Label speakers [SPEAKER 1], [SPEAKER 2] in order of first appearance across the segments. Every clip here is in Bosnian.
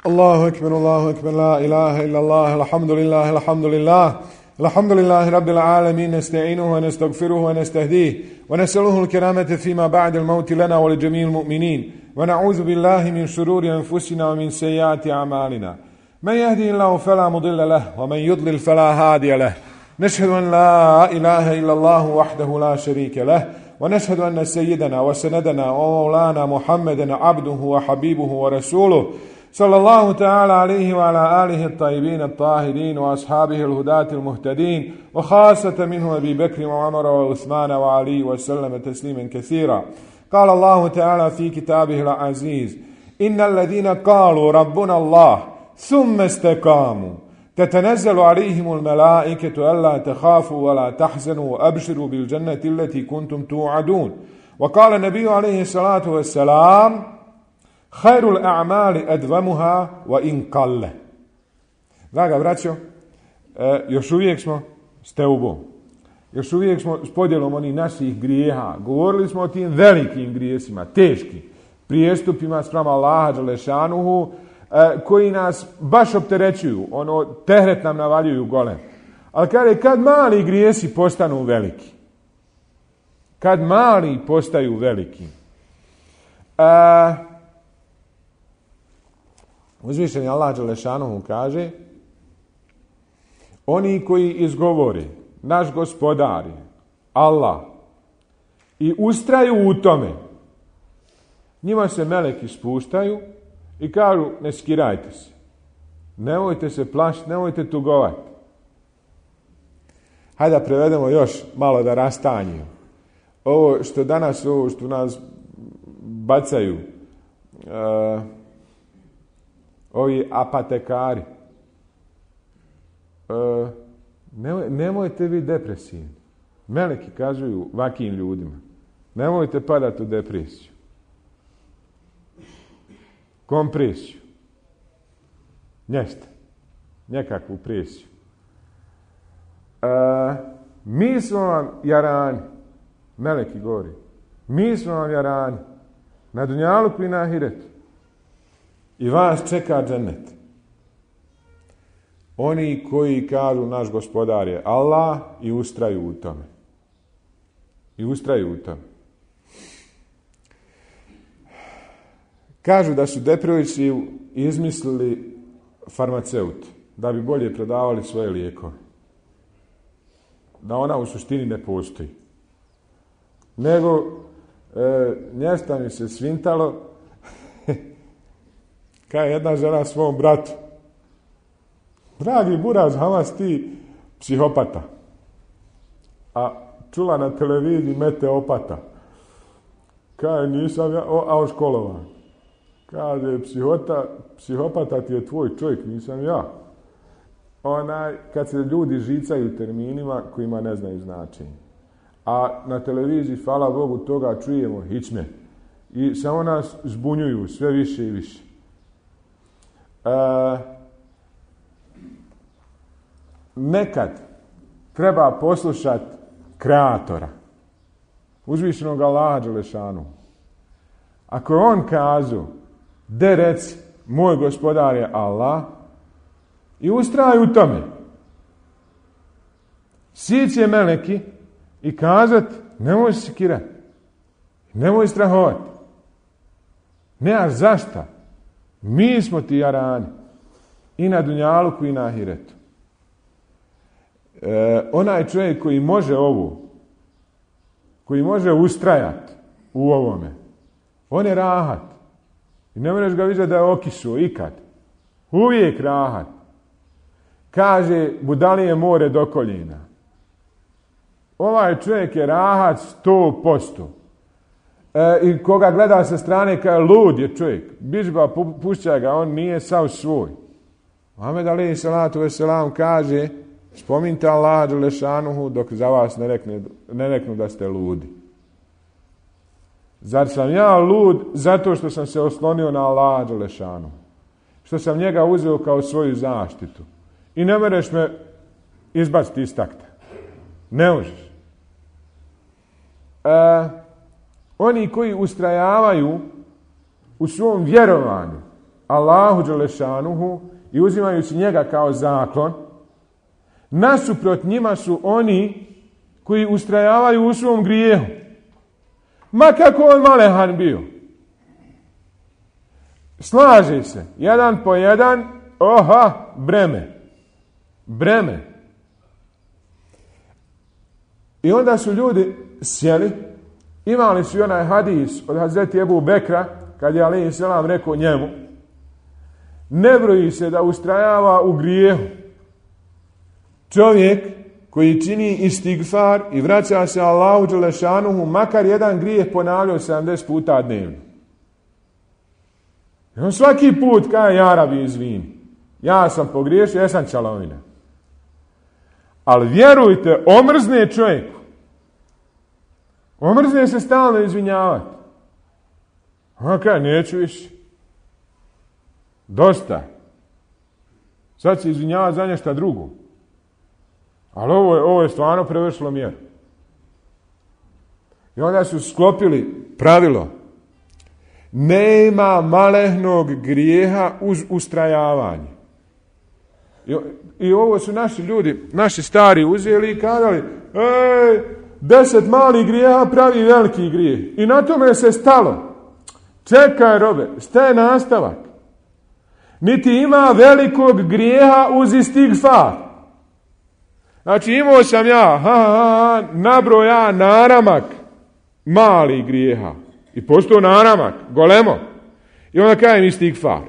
[SPEAKER 1] الله أكبر لا إله إلا الله الحمد لله رب العالمين نستعينه ونستغفره ونستهديه ونسأله الكرامة فيما بعد الموت لنا ولجميع المؤمنين ونعوذ بالله من شرور أنفسنا ومن سيئات أعمالنا من يهدي الله فلا مضل له ومن يضلل فلا هادي له نشهد أن لا إله إلا الله وحده لا شريك له ونشهد أن سيدنا وسندنا ومولانا محمدا عبده وحبيبه ورسوله صلى الله تعالى عليه وعلى آله الطيبين الطاهرين وأصحابه الهداة المهتدين وخاصة منه أبي بكر وعمر وعثمان وعلي وسلم تسليما كثيرا. قال الله تعالى في كتابه العزيز: إن الذين قالوا ربنا الله ثم استقاموا تتنزل عليهم الملائكة ألا تخافوا ولا تحزنوا وأبشروا بالجنة التي كنتم توعدون. وقال النبي عليه الصلاة والسلام: خير الأعمال أدومها وإن قل. Draga braćo, još uvijek smo s teubom. Još uvijek smo s podjelom onih naših grijeha. Govorili smo o tim velikim grijesima, teškim prijestupima spram Allaha dželešanuhu, koji nas baš opterećuju, tehret nam navaljuju golem. Ali kad mali grijesi postanu veliki, kad mali postaju veliki, uzvišeni Allah dželešanuhu kaže: oni koji izgovore naš gospodar je Allah i ustraju u tome, njima se meleki spuštaju i kažu: ne skirajte se, nemojte se plašiti, nemojte tugovati. Hajde da prevedemo još malo da rastanju. Ovo što danas, ovo što nas bacaju ovi apotekari, nemojte biti depresivni. Meleki kažu vakim ljudima: nemojte padati u depresiju, kompresiju, nekakvu presiju. Mi smo vam jarani, meleki govori, mi smo vam jarani na dunjaluku i na ahiretu i vas čeka džennet. Oni koji kažu naš gospodar je Allah i ustraju u tome. Kažu da su depresiju izmislili farmaceuti da bi bolje prodavali svoje lijekove. Da ona u suštini ne postoji. Nego njesta mi se svintalo kao jedna žena svom bratu: dragi buraz, Hamas, ti psihopata. A čula na televiziji meteopata. Kaže: nisam ja, a školovan. Kaže: psihopata ti je tvoj čovjek, nisam ja. Kad se ljudi žicaju terminima kojima ne znaju značenje. A na televiziji, hvala Bogu, toga čujemo hičme. I samo nas zbunjuju sve više i više. Nekad treba poslušati kreatora, uzvišenog Allaha dželešanu. Ako je on kazao: de reci, moj gospodar je Allah, i ustraj u tome, sići je meleki i kazati: nemoj se sekirati, nemoj strahovati, nemaš zašta, mi smo ti jarani i na dunjaluku i na ahiretu. Onaj čovjek koji može ovo, koji može ustrajati u ovome, on je rahat. I ne možeš ga vidjeti da je okišao ikad. Uvijek rahat. Kaže: budalije more do koljena. Ovaj čovjek je rahat 100%. I koga gleda sa strane kaže: lud je čovjek, bižba, pušća ga, on nije sav svoj. Muhammed alejhi salatu vesselam kaže: spominjte Allaha dželešanuhu dok za vas ne reknu da ste ludi. Zar sam ja lud zato što sam se oslonio na Allaha dželešanuhu, što sam njega uzeo kao svoju zaštitu i ne mereš me izbaciti iz takta? Ne možeš. Oni koji ustrajavaju u svom vjerovanju Allahu dželešanuhu i uzimajući njega kao zaklon, nasuprot njima su oni koji ustrajavaju u svom grijehu. Ma kako on malehan bio. Slaže se, jedan po jedan, breme. I onda su ljudi sjeli, imali su i onaj hadis od Hazreti Ebu Bekra, kad je alejhi selam rekao njemu, ne broji se da ustrajava u grijehu čovjek koji čini istigfar i vraća se Allahu dželešanuhu, makar jedan grijeh ponavljao 70 puta dnevno. I on svaki put kaže, ja Rabi, izvini, ja sam pogriješio, ja sam čalovina. Ali vjerujte, omrzne čovjeku. Omrzne se stalno izvinjavati. On kaže, neću više. Dosta. Sad se izvinjava za nešto drugo. Ali ovo je stvarno prevršilo mjeru. I onda su sklopili pravilo. Nema malehnog grijeha uz ustrajavanje. I ovo su naši ljudi, naši stari uzeli i kazali, 10 malih grijeha pravi veliki grijeh. I na tome se stalo. Čekaj, robe, šta je nastavak? Niti ima velikog grijeha uz istigfar. Znači imao sam nabroja naramak malih grijeha. I postao naramak, golemo. I onda kajem istigfar.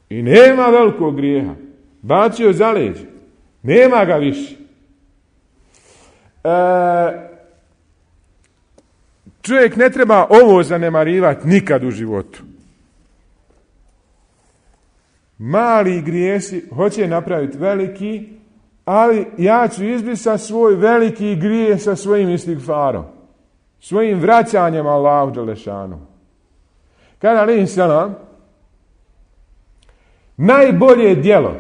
[SPEAKER 1] I nema velikog grijeha. Bacio za leđe. Nema ga više. Čovjek ne treba ovo zanemarivati nikad u životu. Mali grijesi hoće napraviti veliki, ali ja ću izbrisati svoj veliki grijeh sa svojim istigfarom. Svojim vraćanjem Allahu dželešanu. Kada alejhi selam, najbolje djelo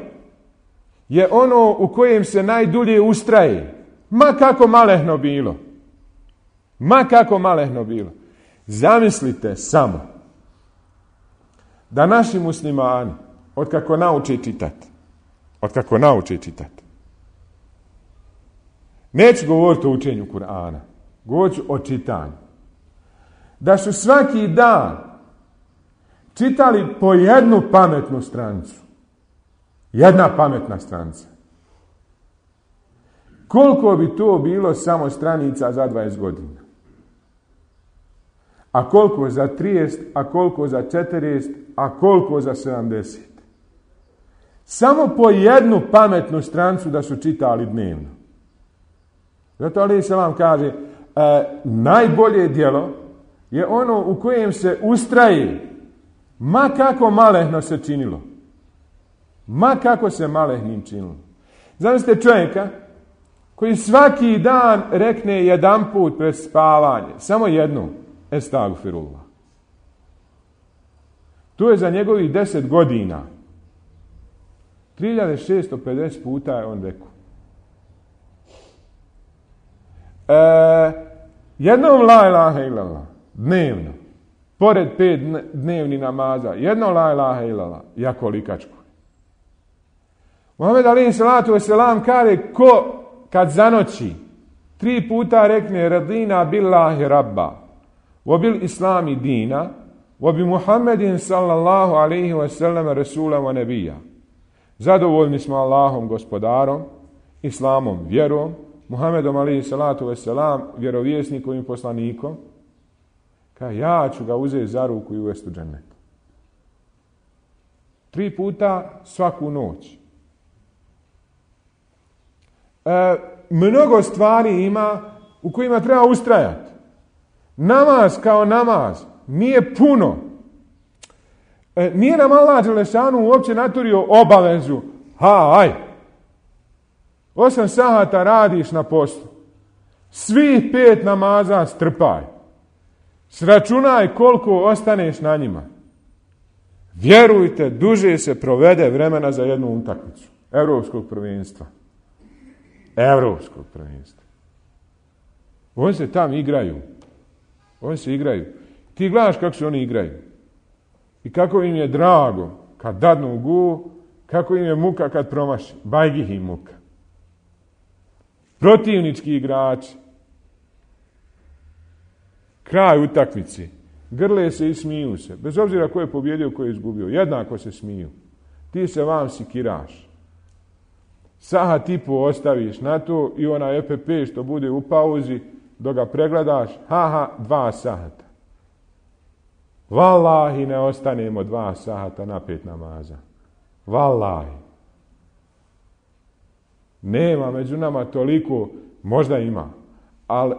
[SPEAKER 1] je ono u kojem se najdulje ustraje. Ma kako malehno bilo. Ma kako malehno bilo. Zamislite samo da naši muslimani, otkako nauče čitati, neću govoriti o učenju Kur'ana, govorit ću o čitanju, da su svaki dan čitali po jednu pametnu stranicu. Jedna pametna stranica. Koliko bi to bilo samo stranica za 20 godina? A koliko za 30, a koliko za 40, a koliko za 70? Samo po jednu pametnu stranicu da su čitali dnevno. Zato alejhi selam kaže, najbolje djelo je ono u kojem se ustraje, ma kako malehno se činilo. Ma kako se malehnim činilo. Zamislite čovjeka koji svaki dan rekne jedan put pred spavanje, samo jednu, estagfirullah. To je za njegovih 10 godina. 3650 puta je on rekao. Jednom la ilaha illallah, dnevno, pored 5 dnevni namaza, jednom la ilaha illallah, jako likačko. Muhammed alejhi salatu vesselam kaže, ko kad zanoći 3 puta rekne radina billahi rabba, wa bil islami dina, wa bi Muhammedin sallallahu alejhi ve sellem rasula wa nabija. Zadovoljni smo Allahom gospodarom, islamom vjerom, Muhammedom alejhi salatu vesselam vjerovjesnikom i poslanikom. Kaže, ja ću ga uzeti za ruku i uvesti u džennet. 3 puta svaku noć. Mnogo stvari ima u kojima treba ustrajati. Namaz kao namaz nije puno. Nije nam Allah dželešanu uopće naturio obavezu. Aj, 8 sahata radiš na poslu. Svih 5 namaza strpaj. Sračunaj koliko ostaneš na njima. Vjerujte, duže se provede vremena za jednu utakmicu. Europskog prvenstva. Oni se tam igraju. Ti gledaš kako se oni igraju. I kako im je drago kad dadnu gu, kako im je muka kad promaši. Bajgih im muka. Protivnički igrači. Kraj utakmice. Grle se i smiju se. Bez obzira ko je pobjedio, ko je izgubio. Jednako se smiju. Ti se vam sikiraš. Sahat i po ostaviš na to i ona EPP što bude u pauzi, dok ga pregledaš, 2 sahata. Valahi ne ostanemo 2 sahata na 5 namaza. Valahi. Nema među nama toliko, možda ima, ali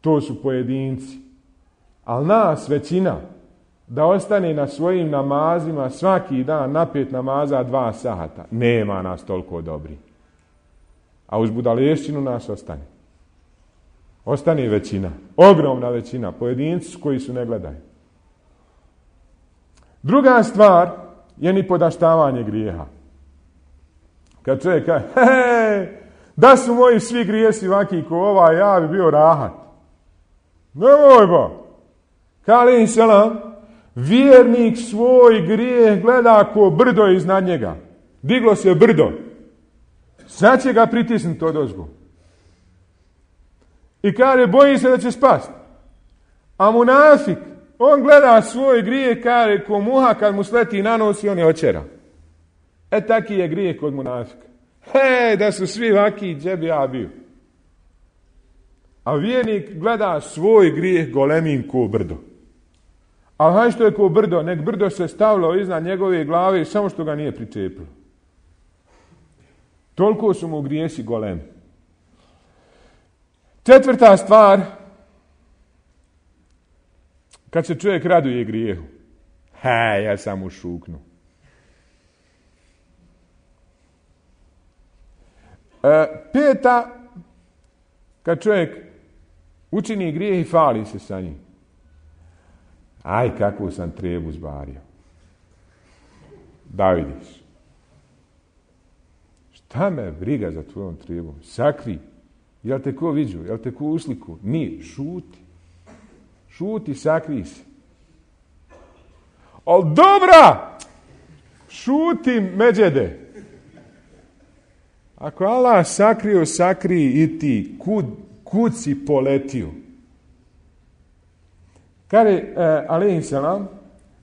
[SPEAKER 1] to su pojedinci. Ali nas većina da ostane na svojim namazima svaki dan na 5 namaza 2 sahata. Nema nas toliko dobri. A uz budalešćinu nas ostane. Ostane većina. Ogromna većina. Pojedinci koji su ne gledaju. Druga stvar je nipodaštavanje grijeha. Kad čovjek kaže, da su moji svi grijesi ovaki ko ovaj, ja bi bio rahat. Nemoj ba. Kali selam, vjernik svoj grijeh gleda ko brdo iznad njega. Diglo se brdo. Sad će ga pritisnuti odozgo. I kaže, boji se da će spasti. A munafik, on gleda svoj grijeh, kaže, ko muha kad mu sleti na nos i on je očera. Taki je grijeh kod munafika. Da su svi vaki, gdje bi ja bio. A vjernik gleda svoj grijeh golemim ko brdo. A haj što je ko brdo, nek brdo se stavilo iznad njegove glave samo što ga nije pričepilo. Toliko su mu grijesi golemi. Četvrta stvar, kad se čovjek raduje grijehu. Ja sam ušuknu. Peta, kad čovjek učini grijeh i fali se sa njim. Aj, kakvu sam trebu zbario. Da vidiš. Šta me briga za tvojom trebom? Sakri. Jel te ko viđu? Jel te ko usliku? Nije. Šuti. Šuti, sakri se. Al dobra! Šuti, međede. Ako Allah sakrio, sakri i ti. Kud si poletio? Kaže, alejhi selam,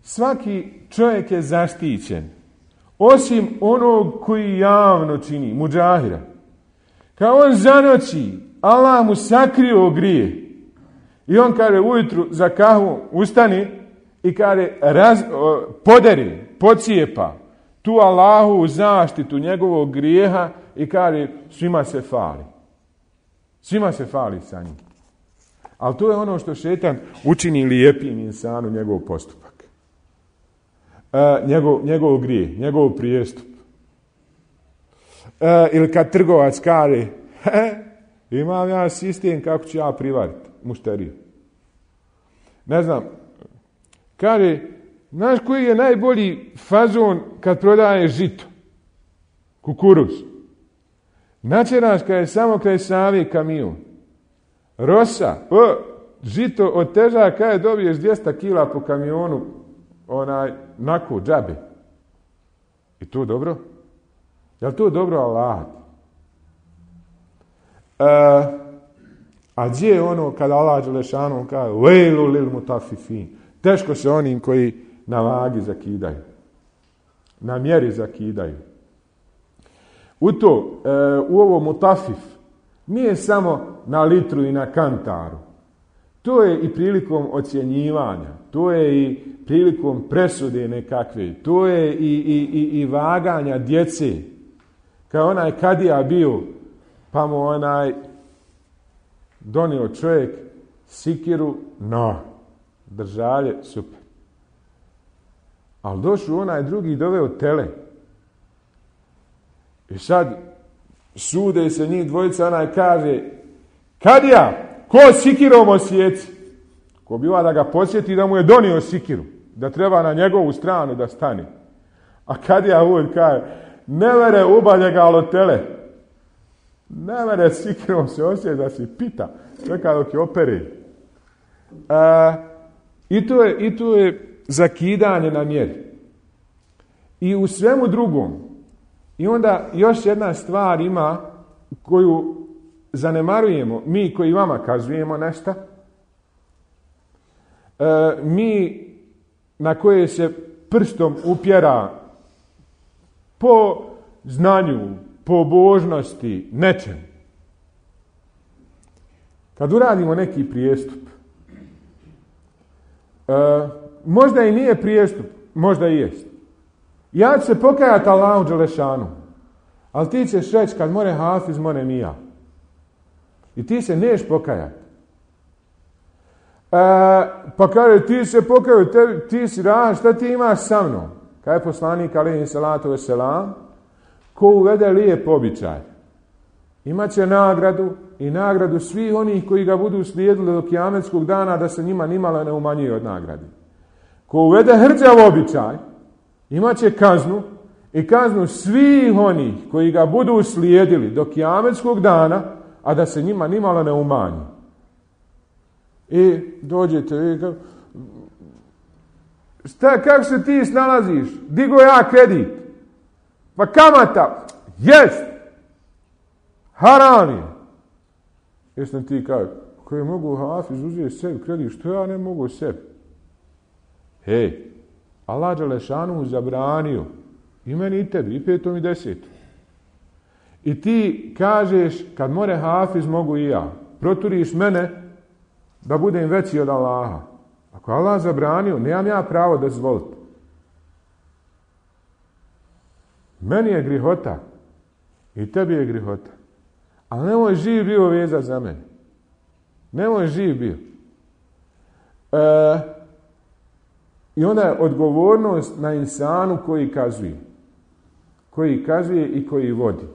[SPEAKER 1] svaki čovjek je zaštićen. Osim onog koji javno čini, muđahira. Kao on zanoći, Allah mu sakrio grije. I on kaže ujutru za kahvu ustani i kaže poderi, pocijepa tu Allahu u zaštitu njegovog grijeha i kaže svima se fali. Svima se fali sa njim. Ali to je ono što šetan učini lijepim insanu njegov postupak. Njegov grije, njegov prijestup. Ili kad trgovac kaže, imam ja sistem kako ću ja privariti mušteriju. Ne znam, kaže, znaš koji je najbolji fazon kad prodaje žito? Kukuruz. Načeraš kad je samo kraj Save kamion. Rosa, žito od teža kad je dobiješ 200 kila po kamionu, nako, džabe. I to dobro? Je li to dobro Allah? A gdje je ono kada Allah Đelešanu kaže vejlu lil mutafifin? Teško se onim koji na vagi zakidaju. Na mjeri zakidaju. U ovo mutafif nije samo na litru i na kantaru. To je i prilikom ocjenjivanja. To je i prilikom presude nekakve. To je i vaganja djece. Kao onaj kadija bio, pa mu donio čovjek sikiru, držalje, super. Ali došao onaj drugi doveo tele. I sad sude se njih dvojica, onaj kaže, kadija, ko sikirom osjeci? Ko biva da ga posjeti da mu je donio sikiru, da treba na njegovu stranu da stane. A kadija uvijek kaže, ne vere ubalje ga alotele. Ne vere sikirom se osjeti da si pita. Čeka dok je opere. I to je zakidanje na mjeri. i u svemu drugom. I onda još jedna stvar ima koju zanemarujemo, mi koji vama kazujemo nešto, mi na koje se prstom upjera po znanju, po božnosti, nečem. Kad uradimo neki prijestup, možda i nije prijestup, možda i jest. Ja ću se pokajati Allahu dželešanu, ali ti ćeš reći kad more Hafiz, more Mija. I ti se neš pokajati. Pa kaže, ti se pokajao, ti si šta ti imaš sa mnom? Kaj je poslanik alejhi salatu vesselam, ko uvede lijep običaj, imaće nagradu i nagradu svih onih koji ga budu slijedili do kijametskog dana, da se njima nimalo ne umanjuje od nagrade. Ko uvede hrđav običaj, imaće kaznu i kaznu svih onih koji ga budu slijedili do kijametskog dana, a da se njima nimalo ne umanji. I dođete, kako se ti snalaziš? Digo ja kredit. Pa kamata, jest, haram je. Jesam ti kaže, koje mogu Hafiz uzeti sebi kredit, što ja ne mogu sebi? Hej, Allah dželešanu zabranio i meni i tebi, i 5. i 10. I ti kažeš, kad more Hafiz mogu i ja, proturiš mene da budem veći od Allaha. Ako Allah zabranio, nemam ja pravo da dozvoliti. Meni je grihota i tebi je grihota. Ali nemoj živ bio vezat za mene. Nemoj živ bio. I onda je odgovornost na insanu koji kazuje. Koji kazuje i koji vodi.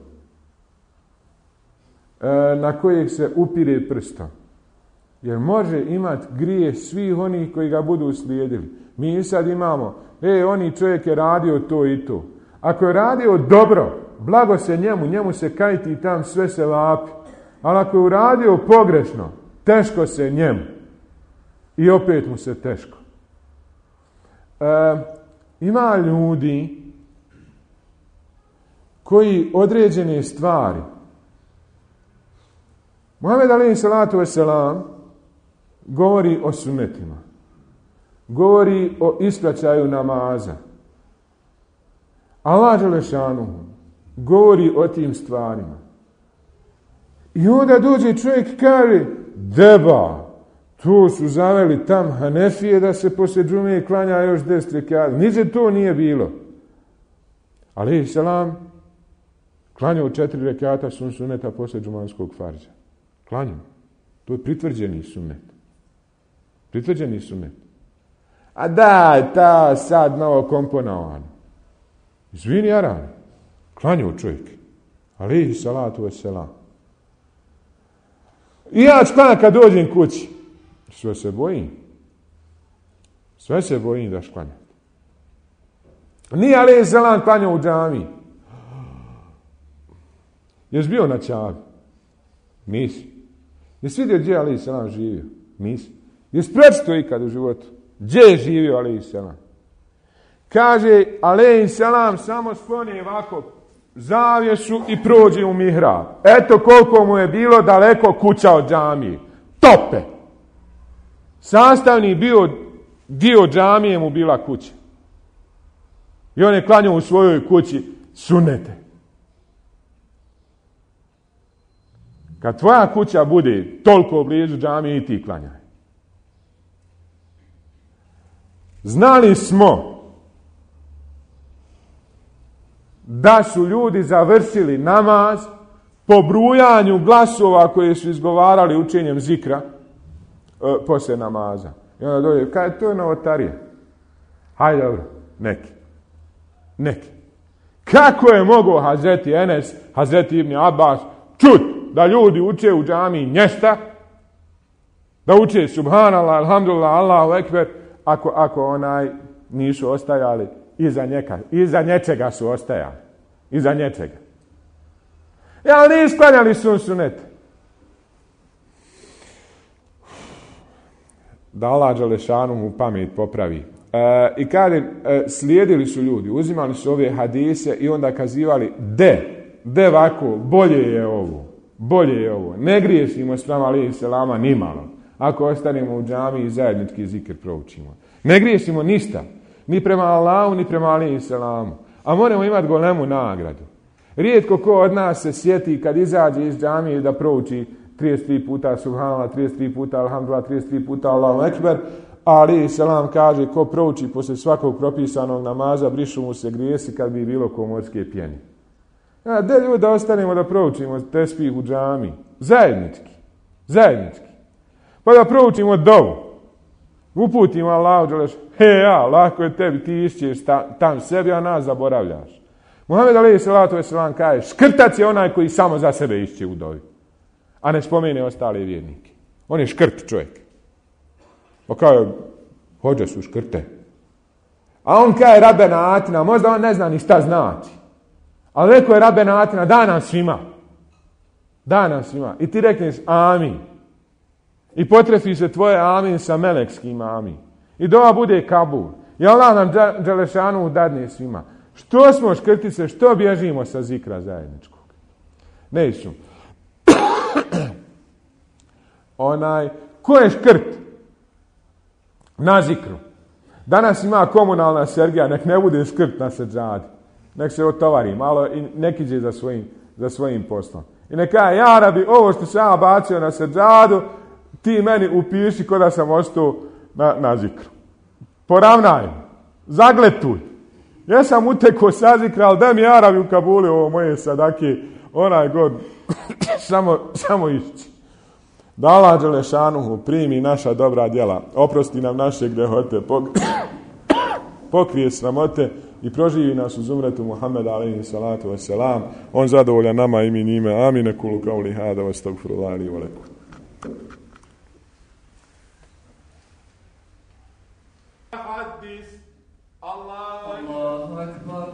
[SPEAKER 1] Na kojeg se upire prstom. Jer može imati grije svih onih koji ga budu slijedili. Mi sad imamo, oni čovjek je radio to i to. Ako je radio dobro, blago se njemu se kajti i tam sve se vapi. Ali ako je uradio pogrešno, teško se njemu. I opet mu se teško. Ima ljudi koji određene stvari, Muhammed alejhi salatu vesselam govori o sunnetima, govori o ispraćaju namaza. Allah dželešanu govori o tim stvarima. I onda dođe čovjek i kaže, deba, to su zaveli tam Hanefije da se poslije džume klanja još 10 rekata. Niđe to nije bilo. Alejhi selam klanjao 4 rekata sunneta poslije džumanskog farđa. Klanjao. To je pritvrđeni sunnet. Pritvrđeni sunnet. A da, ta sad novo komponovano. Izvini, Aran. Klanjao čovjek. Alejhi salatu vesselam. I ja ću klanjati kad dođem kući. Sve se bojim. Sve se bojim da šklanjati. Nije alejhi selam klanjao u džamiji. Jesi bio na Čavi? Nisi. Jesi vidio gdje je alejhi selam živio? Nisi. Jesi prečito ikad u životu? Gdje je živio alejhi selam? Kaže, alejhi selam samo skloni ovako zavjesu i prođe u mihrab. Eto koliko mu je bilo daleko kuća od džamije. Tope! Sastavni dio džamije mu bila kuća. I on je klanjao u svojoj kući sunnete. Kad tvoja kuća bude toliko blizu džamije i ti klanjaj. Znali smo da su ljudi završili namaz po brujanju glasova koje su izgovarali učenjem zikra poslije namaza. I onda dođe, kaj to je novotarija? Hajde, dobro, neki. Kako je mogao Hazreti Enes, Hazreti Ibn Abbas čut da ljudi uče u džamiji nješta, da uče subhanallah, alhamdulillah, Allahu ekber, ako nisu ostajali iza nečega su ostajali. Iza nečega. Ali nisu klanjali sunnet. Da Allah dželešanu mu pamet popravi. I kaže, slijedili su ljudi, uzimali su ove hadise i onda kazivali, de ovako, bolje je ovo. Ne griješimo spram alejhi selama nimalo. Ako ostanemo u džamiji i zajednički zikr proučimo. Ne griješimo ništa. Ni prema Allahu, ni prema alejhi selamu. A moramo imati golemu nagradu. Rijetko ko od nas se sjeti kad izađe iz džamije da prouči 33 puta subhanallah, 33 puta alhamdulillah, 33 puta Allahu ekber. Ali selam kaže, ko prouči poslije svakog propisanog namaza, brišu mu se grijesi kad bi bilo ko morske pjeni. Da ljudi da ostanemo da proučimo tespih u džami. Zajednički. Pa da proučimo dovu. Uputimo Allahu dželešanu. Lako je tebi, ti išćeš tam sebi, a nas zaboravljaš. Muhammed alejhi salatu vesselam kaže, škrtac je onaj koji samo za sebe išće u dovi, a ne spomene ostale vjernike. On je škrt čovjek. Pa kaže, hođe su škrte. A on kaže Rabbena atina, možda on ne zna ni šta znači. Ali rekao je Rabbena atina, da nam svima. I ti rekneš amin. I potrefi se tvoje amin sa melekskim amin. I dova bude kabul. I Allah nam dželešanu dadne svima. Što smo škrtice, što bježimo sa zikra zajedničkog? Neću. Ko je škrt? Na zikru. Danas ima komunalna sergija, nek ne bude škrt na seđadi. Nek se otovari malo i nek iđe za svojim poslom. I neka kaže, ja rabi, ovo što sam ja bacio na seđadu, ti meni upiši ko da sam ostao na zikru. Poravnaj, zagletuj. Ja sam utekao sa zikra, ali da mi Arabi u Kabuli ovo moje sadake, onaj god, samo išći. Da Allah dželešanuhu primi naša dobra djela, oprosti nam naše grehote, pokrije sramote i proživi nas uz umretu Muhammeda alejhi salatu vesselam. On zadovoljan nama i mi njime. Amin. Kulu kauli hada wa astaghfirullahi li wa lakum.
[SPEAKER 2] Hadis Allahu akbar.